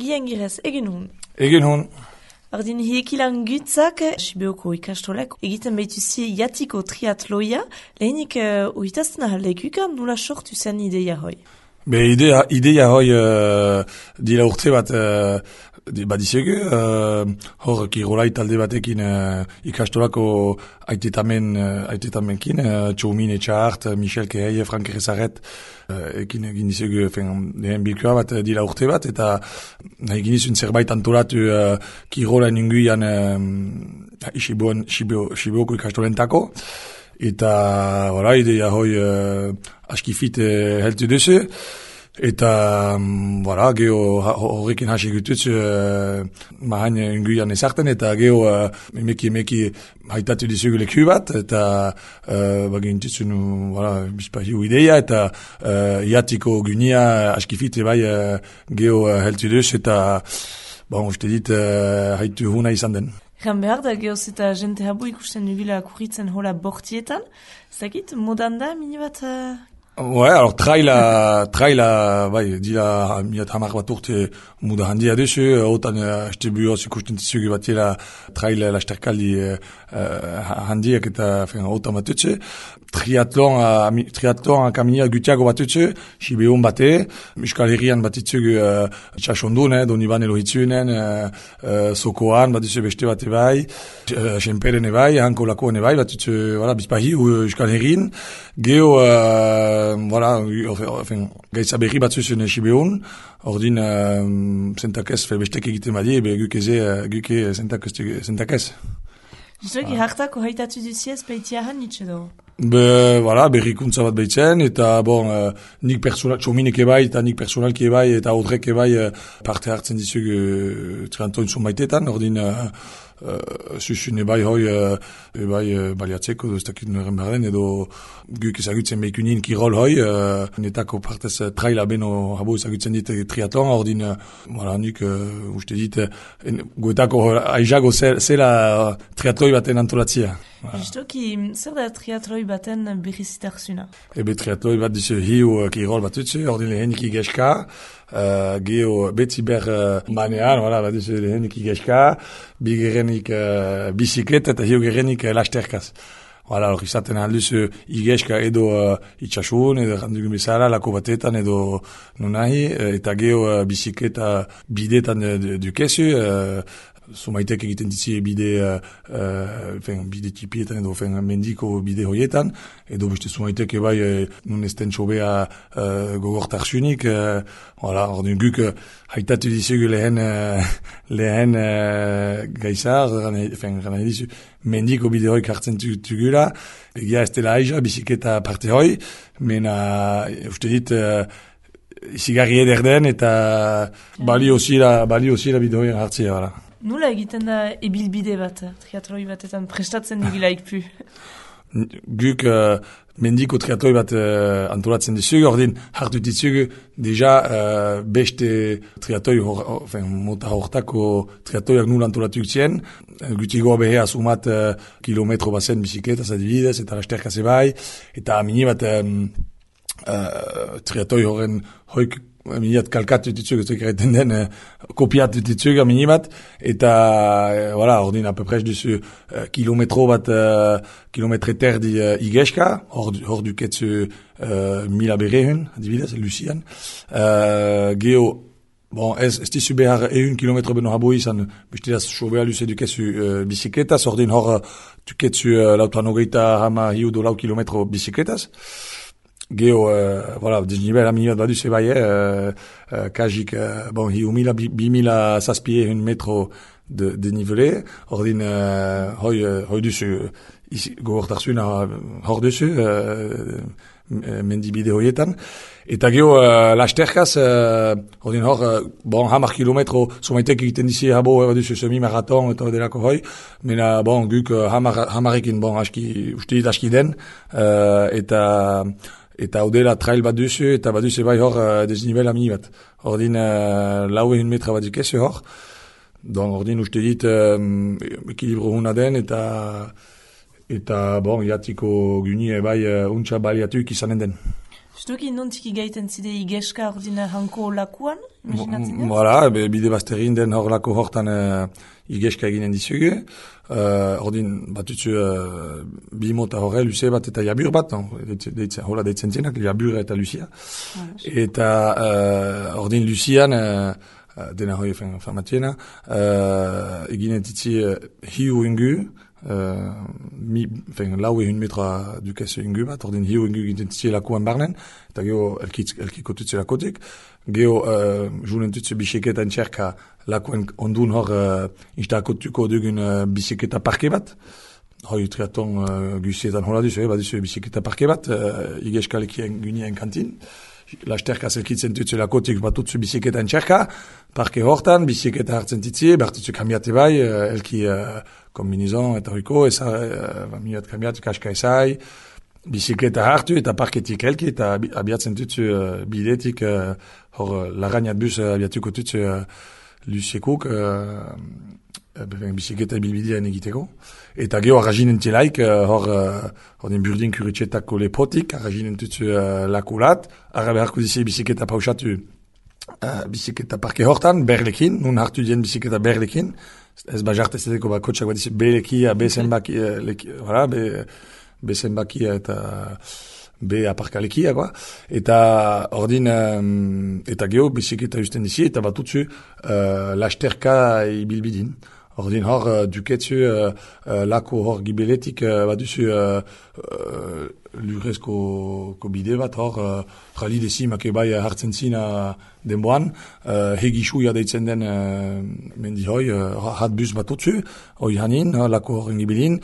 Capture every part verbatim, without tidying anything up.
Julien Girez, egin hun. Egin hun. Ordin hiekilan gutzak, Sibeoko ikastolak, egiten behituzi jatiko triatloia, lehenik uh, uitazten ahaldekukan nula sortu zen ideia hoi? Be ideia, ideia hoi uh, dira urte bat uh, badizegu, uh, hor kirolai talde batekin uh, ikastolako aitetamen, uh, aitetaменkin, uh, Txomin Etxahart, Michel Kehei, Frank Rezaret, uh, ekin egin dizegu dehen bilkua bat uh, dira urte bat, eta egin dizun zerbait antolatu uh, kirola ninguian uh, Sibeoko ikastolentako, eta voilà, ideia hoi uh, askifit uh, heltu duzu. Eta, um, voilà, geho horrekin hasi gututz, uh, mahain unguian ezarten, eta geho uh, emeki emeki haitatu dizugu leku bat, eta uh, bagin tutzun, voilà, bizpahiu ideia, eta uh, iatiko gunia askifite bai uh, geho uh, heltu duz, eta, bon, uste dit, uh, haitu huna izan den. Egan behar da, gehoz eta jente habu ikusten dugula kurritzen hola bortietan, zakit, modan da, mini bat... Uh... Ouais, alors traila, traila, bai, dira miat hamar bat urte muda handia duzu, otan haste buoz ikusten dizugu batela traila lasterkaldi uh, handiak eta otan batutze. Triatlon, uh, triatlon kamina gutiago batutze, Sibeon bate, Euskal Herrian batutzugu uh, Txasondun, eh, Doniban elohitzunen, uh, uh, Sokoan batutze beste bate bai, uh, Senperen ebai, Hanko Lakoan ebai, batutze, voilà, bizpahi, uh, Euskal Herrin, geho, uh, voilà, enfin, gaitza berri batzuzen Sibeon, ordin, uh, zentakez, felbestek egiten badie, be gukeze, uh, guke zentakez. Justoki hartako haitatu duziez baitiahan nitxe do? Be, voilà, berrikuntza bat behitzen, eta bon, uh, nik personal, txominek ebai, eta nik personalki ebai, eta odrek ebai uh, parte hartzen dizugu uh, triantoin zonbaitetan, ordin, uh, uh, susun ebai hoi, uh, ebai uh, baliatzeko, ez dakit nuren behar den, edo guk ezagutzen behikunin kirol hoi, uh, netako partez uh, traila beno habo ezagutzen dit triatlon, ordin, uh, voilà, nik uh, uste dit, uh, goetako aizago zela uh, triatloi baten antolatzia. Voilà. Justoki, zer da triatloi baten berrizitarzuna? Ebe triatloi bat dizu hiu kirol bat utzu, ordin lehenik igeska, uh, geho beti ber uh, manean, voilà, bat dizu lehenik igeska, bigerenik uh, bisiklet eta hiu gerenik uh, lasterkaz. Voilà, hor izaten alduzu igeska edo uh, itxasun, edo randugun bezala, lako batetan edo nunahi, eta geho uh, bisikleta bidetan dukezu, uh, Zumaitek egiten ditzi bide, uh, uh, bide tipietan edo fen, mendiko bide hoietan, edo beste zumaitek ebai uh, nun esten txobea uh, gogortarsunik, uh, voilà, ordin guk uh, haitatu dizugu lehen, uh, lehen uh, gaizar, gana dizu, mendiko bide hoi kartzen tugula, egia ez dela aiza, bisiketa parte hoi, mena, uste dit, uh, izigarri eder den, eta bali osila, bali osila bide hoi hartzea, voilà. Nula egiten da ebilbide bat, triatloi batetan prestatzen digilaik pu? Guk uh, mendiko triatloi bat uh, antolatzen dizugu, ordin hartu dizugu, deja uh, beste triatloi, enfin, mota hortako triatloiak nula antolatu zien, gutigo behea sumat uh, kilometro bazen bisikletaz adibidez, eta lasterkaz ebai, eta mini bat um, uh, triatloi horren hoik miniat kalkatu ditzugu, ez egiten den, uh, kopiatu ditzugu minibat, eta, uh, voilà, ordin, apeprez duzu uh, kilometro bat, uh, kilometre terdi uh, igeska, hor, hor duketzu uh, mila berehun, adibidez, Lucian, uh, geho, bon, ez, ez dizu behar ehun kilometro beno habo izan, bestedaz sobea luze dukezu uh, bisikletaz, ordin hor uh, duketzu uh, lautan hogeita hama hiu do lau kilometro bisikletaz, geho, uh, voilà, desnivel aminiot baduz ebai, euh, uh, kajik, uh, bon, hiu mila, bi, bi mila zazpie un metro de, de nivele, ordin, uh, hoi, uh, hoi duzu, gogortarzuna hor duzu, uh, mendibide hoietan, eta geho, uh, lasterkaz, uh, ordin hor, uh, bon, hamar kilometro, somaitek egiten dizi habo, uh, duzu semi-maraton, eta delako hoi, mena, bon, guk, uh, hamar, hamarekin, bon, aski, uste dit aski den, uh, eta, eta odela trail bat duzu, eta bat duzu bai hor uh, desnivel amini bat. Ordin uh, lau ehun metra bat dukezu hor. Don, ordin uste dit um, ekilibro huna den, eta eta bon, jatiko gunie bai uh, untxa baliatuik izanen den. Justuki nontik igaiten zide igeska ordina hanko lakuan, imaginatzen dut? Voilà, bide bazterin den hor lako hortan uh, igeska eginen dizugu. Uh, ordin batutzu uh, bi mota horre, luze bat eta jabur bat, no? Deitzen, hola deitzen zenak, jabur eta Lucia. Ah, eta uh, ordin Lucian, uh, dena hoi famatiena, uh, eginen titzi uh, hiu ingu, Uh, mi, fen, lau ehun metra dukez ingu bat, ordin hiu ingu egiten titzi lakuan barnen, eta geho elkiko tutze lakotik. Geho uh, julen tutze bisiketa entxerka lakuan ondun hor uh, instalakotuko dugun uh, bisiketa parke bat. Hoi triaton uh, guzietan hola duzu, eh, baduzu bisiketa parke bat, uh, igeskalekien gunien kantin. Lasterka zelkitzen tutze lakotik batutzu bisiketa entxerka, parke hortan, bisiketa hartzen titzi, bertutzu kambiate bai, uh, elki uh, kombinizon eta hoiko, eza, uh, minuat kambiat, kaska ezai, bisiketa hartu eta parketik elki, eta abiatzen tutzu uh, bidetik, uh, hor larainat bus uh, abiatuko tutzu uh, lusekuk, uh, bisiketa bilbidean egiteko. Eta geho arraginen telaik, uh, hor, uh, hor den burdin kuritxetako lepotik, arraginen tutzu uh, lakulat, arra beharko dizi bisiketa pausatu uh, bisiketa parke hortan, berlekin, nun hartu dien bisiketa berlekin, ez bajarte zedeko ba kotxak bat dizi belekia, bezenbaki, uh, leki, voilà, be, bezenbakia eta be aparkalekia, quoi. Eta ordin, um, eta geho bisiketa usten dizi, eta batutzu uh, lasterka ibilbidin. Ordin hor, uh, duketzu uh, uh, lako hor gibeletik uh, baduzu uh, uh, lurezko ko bide bat hor, uh, jali dezi make bai hartzen zina denboan, uh, hegixuia deitzen den uh, mendi hoi, uh, hat bus batutzu, hoi hanin, uh, lako horren gibelin,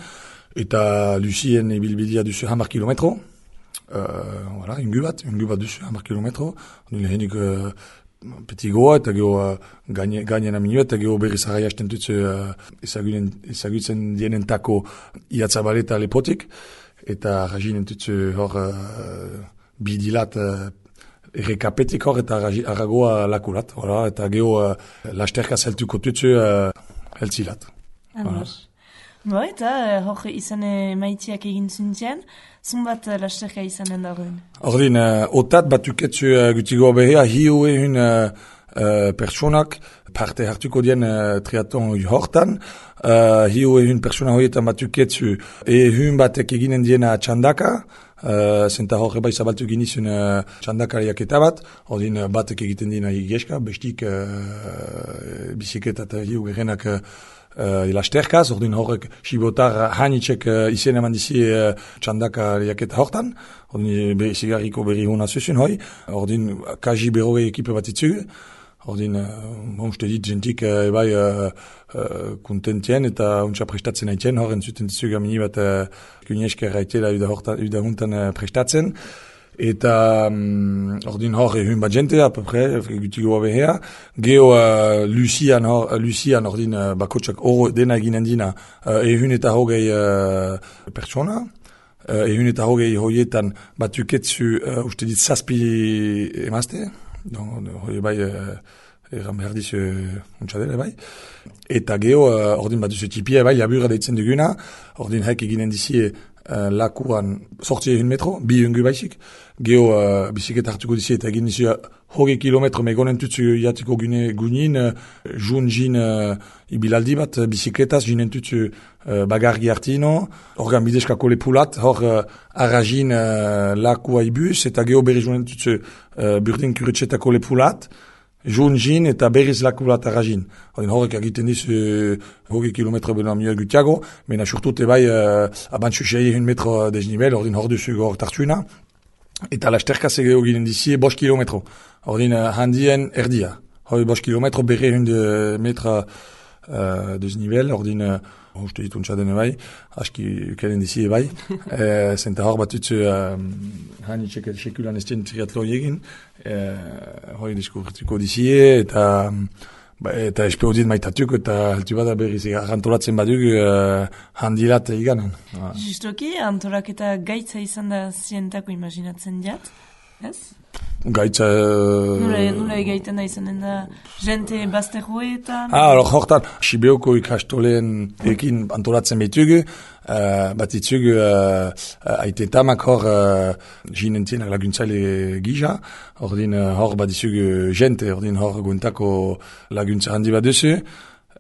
eta Lucien ibilbidea duzu hamar kilometro, uh, voilà, ingu bat, ingu bat duzu hamar kilometro, ordin lehenik uh, Peti goa eta geho uh, gainen aminu eta geho berriz arrai hasten dutzu uh, ezagutzen dienentako iatzabaleta lepotik eta raginen dutzu hor uh, bidilat uh, errekapetik hor eta arragoa lakulat, voilà, eta geho uh, lasterka zeltuko dutzu uh, heltzilat. Voilà. Bo, eta hor izan maitiak egin zuntzen, zunbat lasterka izanen dagoen? Ordin, uh, otat batuketzu uh, gutigo behea, hiu ehun uh, uh, personak parte hartuko dien uh, triaton hortan, uh, hiu ehun persona horietan batuketzu ehun batek eginen diena txandaka, Uh, zenta horre bai zabaltu ginizun uh, txandakariak eta bat, ordin uh, batek egiten dina igeska, bestik uh, bisiketa eta hiu gerenak uh, uh, lasterkaz, ordin horrek sibotar hanitxek uh, izen eman dizi uh, txandakariak eta hortan, ordin be, zigarriko berri hona zuzun hoi, ordin kaji berrogei ekipe bat itzugu, ordin, uh, uste dit, jentik uh, ebai uh, uh, kontentien eta untsa prestatzen haitien, horren zuten ditzuga mini bat uh, kuniesker haitela uda huntan uh, prestatzen. Eta um, ordin hor ehun bat jente, apapre, gutigoa behea. Geho uh, Lucian, hor, Lucian ordin uh, bakotxak oro dena eginen dina uh, ehun eta hogei uh, persona. Uh, ehun eta hogei hoietan batuketzu uh, uste dit zazpi emazte. Don, hoi bai, uh, eran behar dizu untxadele bai. Eta geho, uh, ordin bat duzu tipia bai, labura deitzen duguna, ordin haik eginen dizi uh, lakuan sortzi ehun metro, bi ungu baizik. Geho, uh, bisiketa hartuko dizi eta egin dizi hogei kilometro megonen tutzu jatiko gune gunin, uh, jun jin uh, ibilaldi bat, uh, bisiketaz jinen tutzu uh, bagargi hartino, organ bideskako lepulat, hor uh, arragin uh, lakua ibus, eta geho berri jinen tutzu uh, burdin kuritxetako lepulat, jun jin eta berriz lakulat arragin. Horrek egiten dizu uh, hogei kilometro beno amioa gutiago, mena surtute bai uh, abantzu sei ehun metro desnivel, ordin hor duzu hor tartuina, eta lasterka zegeo ginen dizi bost kilometro. Ordin uh, handien erdia. Hoi bost kilometro berre ehun de metra uh, desnivel, ordin uh, uste dit untsa dene bai, aski ukelen dizi bai. e, zenta hor batutzu uh, hani txekel sekulan estien triatloi egin, uh, hoi diskurtuko dizi eta ba, eta espeo dit maitatuk eta altu bada berriz antolatzen baduk uh, handilat eganen. Justoki, antolak eta gaitza izan da zientako imaginatzen diat? Ez? Gaitza... Nula, nula egaiten da izanen da jente bazterroetan? Ah, alors hortan, Sibeoko ikastoleen ekin antolatzen behitugu, uh, bat itzugu uh, aitetamak hor uh, jinentienak laguntzaile gija, ordin uh, hor bat izugu jente, ordin hor guntako laguntza handi bat duzu,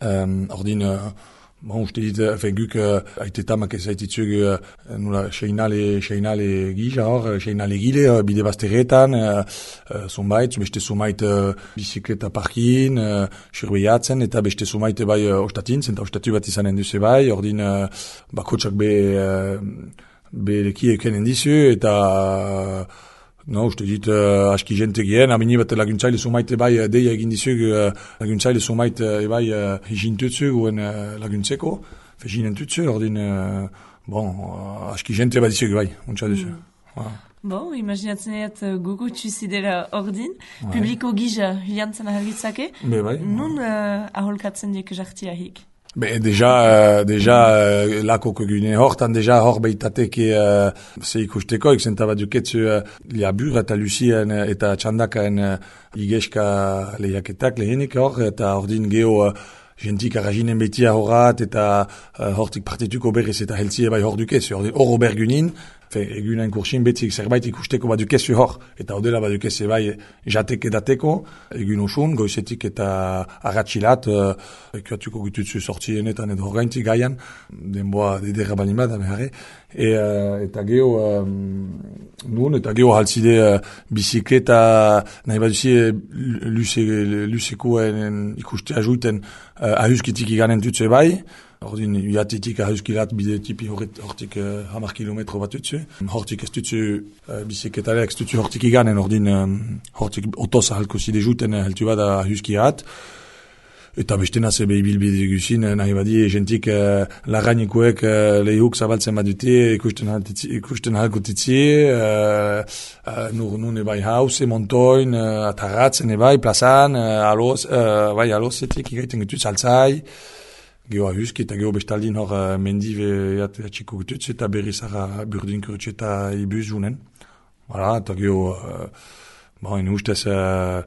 um, ordin... Uh, Bon, uste dit, fe guk uh, aitetamak ez aititzug uh, nula seinale, seinale gija hor, seinale gile, uh, bide bazterretan, uh, uh, zonbait, beste zonbait uh, bizikleta parkin, uh, surbeiatzen, eta beste zonbait bai uh, ostatin, zenta ostatu bat izanen duze bai, ordin uh, bakotsak be, uh, be leki ekenen dizu, eta... Uh, No, uste dit, uh, aski jente gehen, amini bat laguntzaile sumaite bai uh, deia egin dizug, uh, laguntzaile sumaite uh, bai uh, hijintutzu guen uh, laguntzeko, fe jinentutzu, ordin, uh, bon, uh, aski jente bat dizug bai, untsa duzu. Mm. Voilà. Bon, imaginatzen eat uh, gogotsu zidela ordin, ouais. Publiko gija hilantzen ahalgitzake, bai. Nun uh, aholkatzen diek jartia hik? Ben, deja, uh, deja, uh, lako kogune hortan, deja hor behitateke uh, ze ikusteko, ikzenta bat duketzu uh, liabur eta lucien eta txandakaen uh, igeska lehiaketak lehenik hor, eta ordin geho uh, jentik arraginen betia horrat, eta uh, hortik partituko berriz eta heltzie bai hor dukezu, ordin hor obergunin, egunen kursin betzik zerbait ikusteko bat dukezu hor, eta odela bat dukeze bai jatek edateko, egun osun, goizetik eta arratxilat, uh, ekuatuko gututzu sortzienetan edo horreintik gaian, denboa dedera balin bat, amehare, e, uh, eta geho, um, nun, eta geho haltzide uh, bizikleta, nahi bat duzie, luzekoen ikuste ajuiten uh, ahuskitik iganen tutze bai, ordin, iatetik ahuzkilat bide tipi hortik uh, hamar kilometro bat utzu. Hortik ez dutzu uh, bizikletalek, ez dutzu hortik iganen, ordin, um, hortik otoz ahalko zide juten heltu bat ahuzkilat. Eta bestena zebe ibilbide guzin, nahi badi, jentik uh, larrainikoek uh, lehuk zabaltzen bat dute, ikusten ahalko titzi, uh, uh, nur nun ebai hause, montoin, uh, atarratzen ebai, plazan, uh, aloz, uh, bai alozetik, igaiten gutuz altzai, geho ahuski eta geho bestaldin hor uh, mendive atxiko gututz eta berriz ara burdin kurutxe eta ibuz junen. Voilà, eta geho, uh, bon, inu ustez, uh,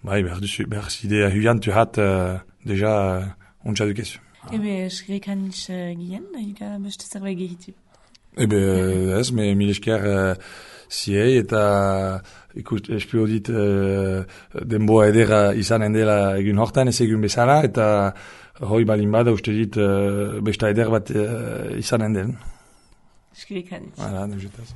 bai, behar duzu, behar zide ahuiantu hat, uh, deja, uh, untsa dukezu. Ebe, esgrekan nis uh, gien, ega beste zerbait gehitu? Ebe, ez, me mil esker uh, ziei eta ikust, espio dit uh, denboa edera izanen dela egun hortan, ez egun bezala, eta hoi balin bada uste dit uh, besta eder bat uh, izanen den. Eskerrik hanitz. Hala, neuzetaz.